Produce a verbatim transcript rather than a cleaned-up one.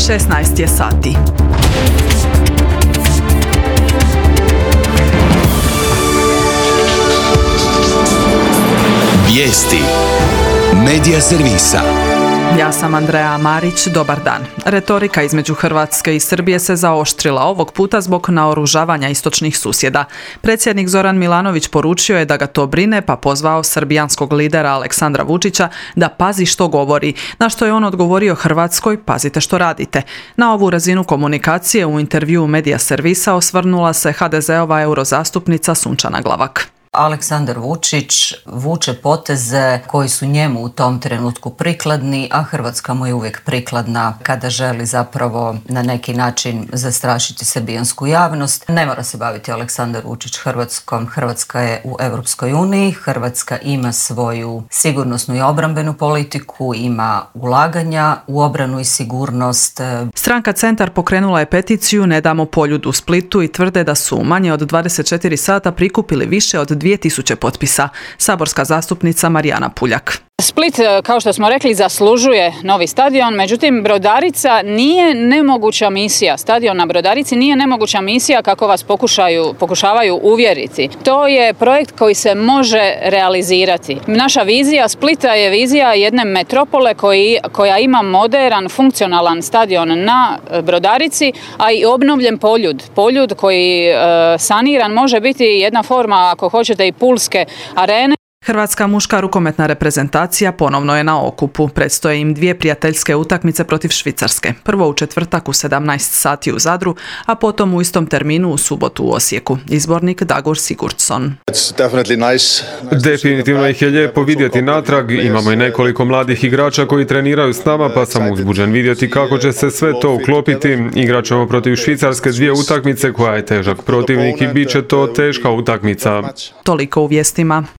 šesnaest je sati. Vijesti Medija servisa. Ja sam Andreja Marić, dobar dan. Retorika između Hrvatske i Srbije se zaoštrila ovog puta zbog naoružavanja istočnih susjeda. Predsjednik Zoran Milanović poručio je da ga to brine, pa pozvao srbijanskog lidera Aleksandra Vučića da pazi što govori, na što je on odgovorio Hrvatskoj: pazite što radite. Na ovu razinu komunikacije u intervjuu Medija servisa osvrnula se ha de zeova eurozastupnica Sunčana Glavak. Aleksandar Vučić vuče poteze koji su njemu u tom trenutku prikladni, a Hrvatska mu je uvijek prikladna kada želi zapravo na neki način zastrašiti srbijansku javnost. Ne mora se baviti Aleksandar Vučić Hrvatskom. Hrvatska je u Europskoj uniji, Hrvatska ima svoju sigurnosnu i obrambenu politiku, ima ulaganja u obranu i sigurnost. Stranka Centar pokrenula je peticiju Ne damo Poljud u Splitu i tvrde da su u manje od dvadeset četiri sata prikupili više od dvije tisuće potpisa. Saborska zastupnica Marijana Puljak. Split, kao što smo rekli, zaslužuje novi stadion, međutim Brodarica nije nemoguća misija. Stadion na Brodarici nije nemoguća misija kako vas pokušaju, pokušavaju uvjeriti. To je projekt koji se može realizirati. Naša vizija Splita je vizija jedne metropole koji, koja ima moderan, funkcionalan stadion na Brodarici, a i obnovljen Poljud. Poljud koji e, saniran može biti jedna forma, ako hoćete, i pulske arene. Hrvatska muška rukometna reprezentacija ponovno je na okupu. Predstoje im dvije prijateljske utakmice protiv Švicarske. Prvo u četvrtak u sedamnaest sati u Zadru, a potom u istom terminu u subotu u Osijeku. Izbornik Dagur Sigurdsson. Definitivno ih je lijepo vidjeti natrag. Imamo i nekoliko mladih igrača koji treniraju s nama, pa sam uzbuđen vidjeti kako će se sve to uklopiti. Igrat ćemo protiv Švicarske dvije utakmice koja je težak protivnik i bit će to teška utakmica. Toliko u vijestima.